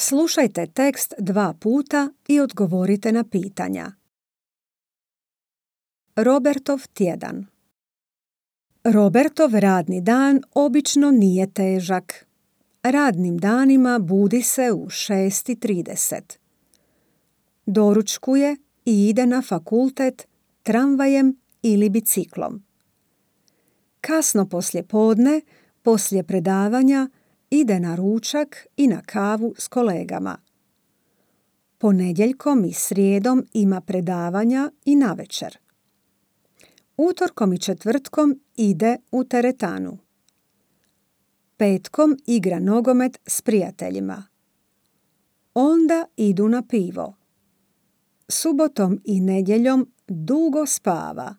Slušajte tekst 2 puta i odgovorite na pitanja. Robertov tjedan. Robertov radni dan obično nije težak. Radnim danima budi se u 6:30. Doručkuje i ide na fakultet tramvajem ili biciklom. Kasno poslijepodne, poslije predavanja, ide na ručak i na kavu s kolegama. Ponedjeljkom i srijedom ima predavanja i navečer. Utorkom i četvrtkom ide u teretanu. Petkom igra nogomet s prijateljima. Onda idu na pivo. Subotom i nedjeljom dugo spava.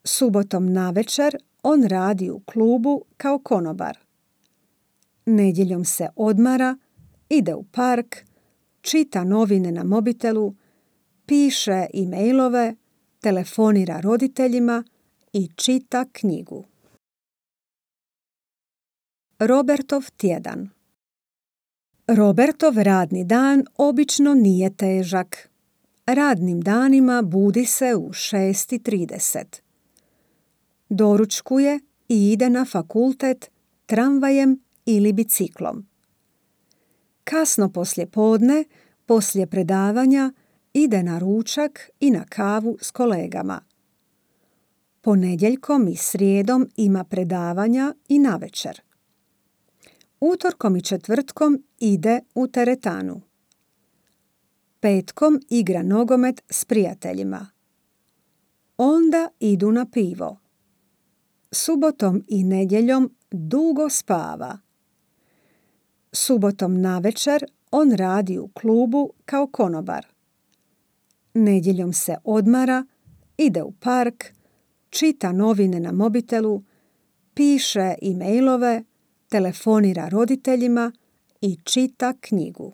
Subotom navečer on radi u klubu kao konobar. Nedjeljom se odmara, ide u park, čita novine na mobitelu, piše e-mailove, telefonira roditeljima i čita knjigu. Robertov tjedan. Robertov radni dan obično nije težak. Radnim danima budi se u 6:30. Doručkuje i ide na fakultet tramvajem ili biciklom. Kasno poslijepodne, poslije predavanja, ide na ručak i na kavu s kolegama. Ponedjeljkom i srijedom ima predavanja i navečer. Utorkom i četvrtkom ide u teretanu. Petkom igra nogomet s prijateljima. Onda idu na pivo. Subotom i nedjeljom dugo spava. Subotom navečer on radi u klubu kao konobar. Nedjeljom se odmara, ide u park, čita novine na mobitelu, piše e-mailove, telefonira roditeljima i čita knjigu.